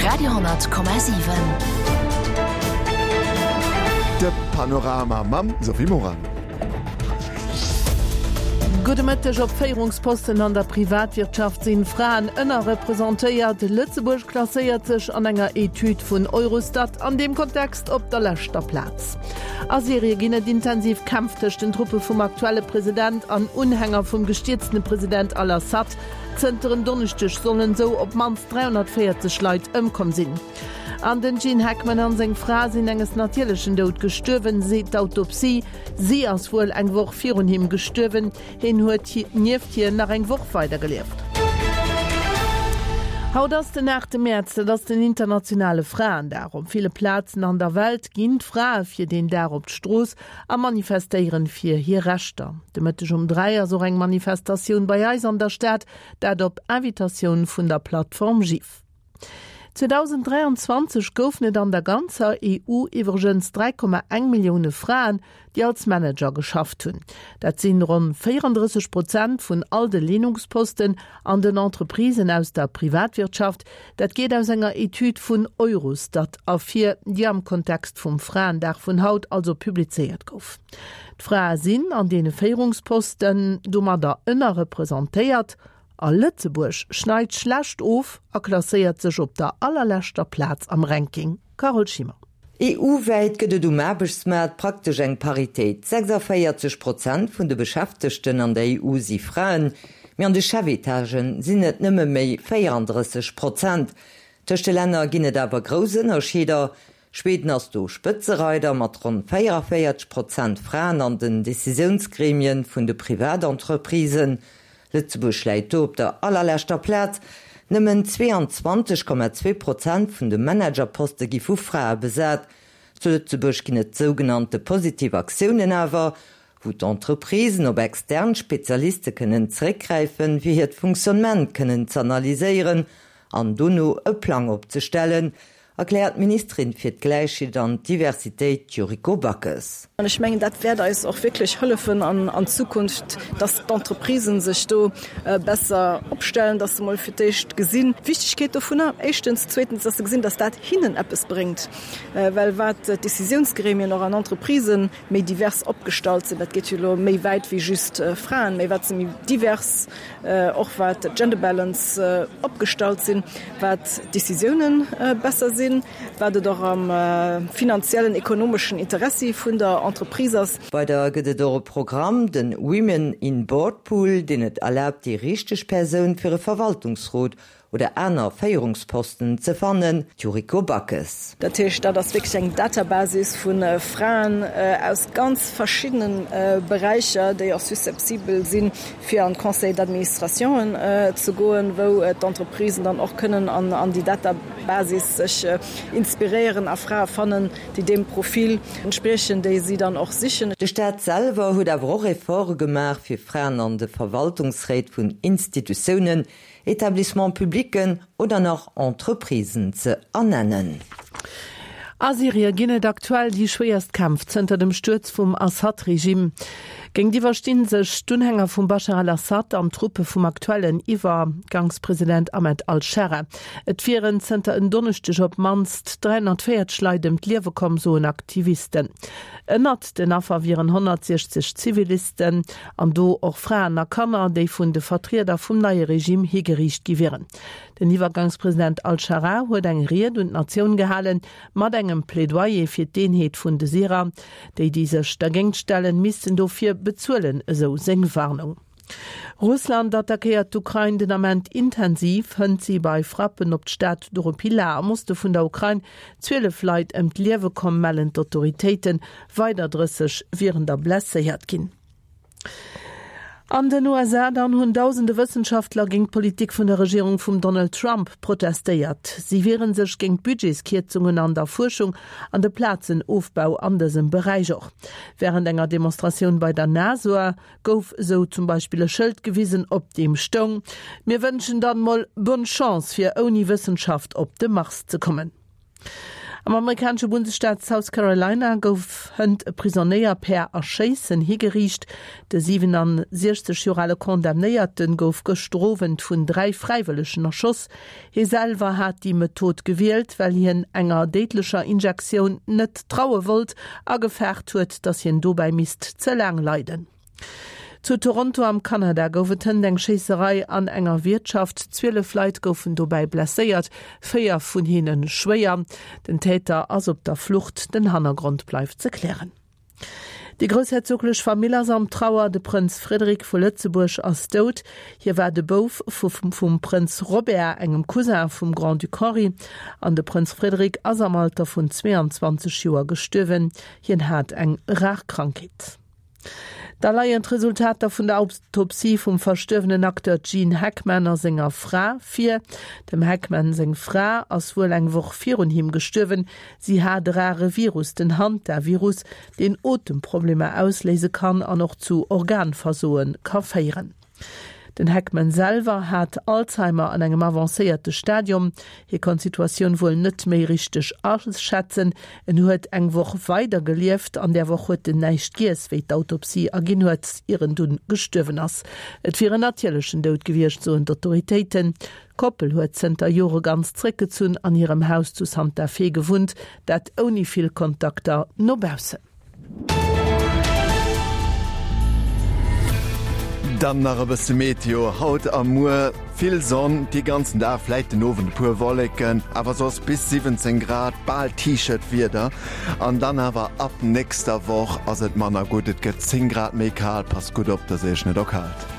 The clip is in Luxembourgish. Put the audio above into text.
Radio,7. De Panorama mam Sophie Morang. Gudde Mëtteg. Op Féierungsposten an der Privatwirtschaft sinn Fraen ënnerrepresentéiert. Lëtzebuerg klasséiert sech an enger Etüd vun Eurostat an deem Kontext op der leschter Plaz. A Syrie ginn et intensiv Kämpf tëscht den Truppe vum aktuelle President an Unhänger vum gestierztene President al-Assad. Zënter en Donneschdeg sollen esou op d'mannst 340 Leit ëmkomm sinn. An den Gene Hackman an seng Fra sinn enges natierlechen Doud gestuerwen, seet d'Autopsie. Si ass wuel eng Woch virun him gestuerwen, hien huet nieft hir nach eng Woch weidergelieft. Haut ass den 8 Mäerz, dat ass den internationale Fraendag. Op ville Plazen an der Welt ginn d'Frae fir deen Dag op d'Strooss a manifestéieren fir hir Rechter. De Mëtteg um 3 ass och eng Manifestatioun bei eis an der Stad, dat op Invitatioun vun der Plattform GIF. 2023 goufen et an der ganzer EU iwwregens 3,1 Millioune Fraen, déi als Manager geschafft hunn. Dat sinn ronn 34 Prozent vun all de Leenungsposten an den Entreprisen aus der Privatwirtschaft. Dat geet aus enger Etüd vun Eurostat ervir, déi am Kontext vum Fraendag vun haut also publizéiert gouf. D'Frae sinn an deene Féierungsposten domadder ënnerrepresentéiert a Lëtzebuerg schneit schlecht of a klasséiert sech op der allerleschter Plaz am Ranking. Carole Schimmer. EU-wäit gëtt et um Aarbechtsmaart praktesch eng Paritéit, 46 Prozent vun de Beschäftegten an der EU si Fraen, mee an de Chefetagen sinn et nëmme méi 34 Prozent. Tëscht de Länner ginn et awer grouss Ënnerscheeder, Schweden ass do Spëtzereider mat ronn 44 Prozent Fraen an den Decisiounsgremien vun de Privatentreprisen. Lëtzebuerg läit do op der allerleschter Plaz, nëmmen 22,2 Prozent vun de Managerposte gi vu Frae besat. Zu Lëtzebuerg ginn et sougenannte positiv Aktiounen awer, wou d'Entreprisen op extern Spezialiste kënnen zeréckgräifen, fir hiert Fonctionnement kënnen z'analyséieren an dono e Plang opzestellen, erkläert d'Ministerin fir d'Gläichheet an d'Diversitéit Yuriko Backes. An ech mengen, dat wäert eis och wierklech hëllefen an Zukunft, dass d'Entreprisen sech do besser opstellen, dass se emol fir d'éischt gesinn d'Wichtigkeet dovunner, éischtens, zweetens, dass se gesinn, dass dat hinnen eppes bréngt, well wat d'Décisionsgremien och an Entreprisen méi divers opgestallt sinn, dat geet jo elo méi wäit wéi just Fraen, mä wat se méi divers och wat d'Gender Balance opgestallt sinn, wat d'Décisiounen besser sinn, wat et och am finanziellen, ekonomeschen Interessi vun der Entreprise ass. Weider gëtt et och e Programm, de Women in Board Pool, deen et erlaabt, déi richteg Persoun fir e Verwaltungsrot oder aner Féierungsposten ze fannen, Yuriko Backes. Dat heescht, dat ass wierklech eng Databasis vu Fraen aus ganz verschiddene Beräicher, déi och susceptibel sinn, fir an d'Conseils d'administrationen ze goen, wou d'Entreprisen dann och kënnen an déi Databasis sech inspiréieren a Frae fannen, déi deem Profil entspriechen, déi si dann och sichen. De Staat selwer huet awer och Efforte gemaach, fir Fraen an de Verwaltungsréit vun Institutiounen Etablissements publicken oder nach Entreprisen ze ernennen. A Syrie ginn et aktuell déi schwéierst Kämpf zënter dem Stuerz vum Assad-Regime. Géintiwwer sti sech d'Unhänger vum Baschar al-Assad an d'Truppe vum aktuellen Iwwergangspresident Ahmed al-Sharaa. Et wieren zënter en Donneschdeg op d'mannst 340 Leit ëm d'Liewe komm, soen Aktivisten. Ënnert den Affer wieren 160 Zivilisten, an do och Fraen a Kanner, déi vun de Vertrieder vum neie Regime higeriicht gi wieren. Den Iwwergangspresident al-Scharaa huet eng Ried un d'Natioun gehalen, mat engem Plädoyer fir d'Eenheet vun de Syrer. Déi, déi sech dergéingt stellen, missten dofir bezuelen, esou seng Warnung. Russland attackéiert d'Ukrain den Ament intensiv. Hënt si bei Frappen op d'Stad Doropila am Oste vun der Ukrain 12 Leit ëm d'Liewe komm, mellen d'Autoritéiten. Weider 30 wieren der blesséiert ginn. An den USA dann hunn dausende Wëssenschaftler géint d'Politik vun der Regierung vum Donald Trump protestéiert. Si wiere sech géint d'Budgetskierzungen an der Fuerschung an de Plazenofbau an dësem Beräich. Och wärend enger Demonstratioun bei der NASA gouf esou zum Beispill e Schëld gewisen, op deem stoung, Mir wënschen dann mol bonne Chance fir ouni Wëssenschaft op de Mars ze kommen. Am amerikanesche Bundesstaat South Carolina gouf hënt e Prisonéier per Erschéissen higeriicht. De 67 Joer ale Condamnéierte gouf gëschter Owend vun 3 Fräiwëllegen erschoss. Hie selwer hat déi Method gewielt, well hien enger déidlecher Injektioun net traue wollt a gefaart huet, datt hien dobäi misst ze laang leiden. Zu Toronto am Kanada gouf et hënt eng Schéisserei an enger Wiertschaft. 12 Leit goufen dobäi blesséiert, 4 vun hinne schwéier. Den Täter ass op der Flucht, den Hannergrond bleift ze klären. Déi groussherzoglech Famill ass am Trauer, De Prënz Frederik vu Lëtzebuerg ass dout. Hie war de Bouf vu vum Prënz Robert, engem Cousin vum Grand-Duc Henri. An de Prënz Frederik ass am Alter vun 22 Joer gestuerwen. Hien hat eng rar Krankheet. Da leien d'Resultater vun der Autopsie vum verstuerwenen Acteur Gene Hackman a senger Fra vir. Dem Hackman seng Fra ass wuel eng Woch virun him gestuerwen. Si hat e rare Virus, den Hantavirus, deen Otemproblemer ausléise kann an och zu Organversoe ka féieren. Den Hackman selwer hat Alzheimer an engem avancéierte Stadium. Hie konnt d'Situatioun wuel net méi richteg aschätzen. En huet eng Woch weider gelieft. An där Woch huet en näischt giess, wéi d'Autopsie erginn huet, ier en dunn gestuerwen ass. Et wier en natierlechen Doud gewiescht, soen d'Autoritéiten. D'Koppel huet zënter Jore ganz zréckgezunn an hirem Haus zu Santa Fe gewunnt, dat ouni vill Kontakter no baussen. Dann nach e bësse Meteo, Haut a muer vill Sonn, dee ganzen Dag, vläit den Owend e puer Wolleken, awer soss bis 17 Grad, bal T-Shirt-Wieder. An dann awer ab nächster Woch ass et manner gutt, et gëtt 10 Grad méi kal. Passt gutt op, dass Iech net erkaalt.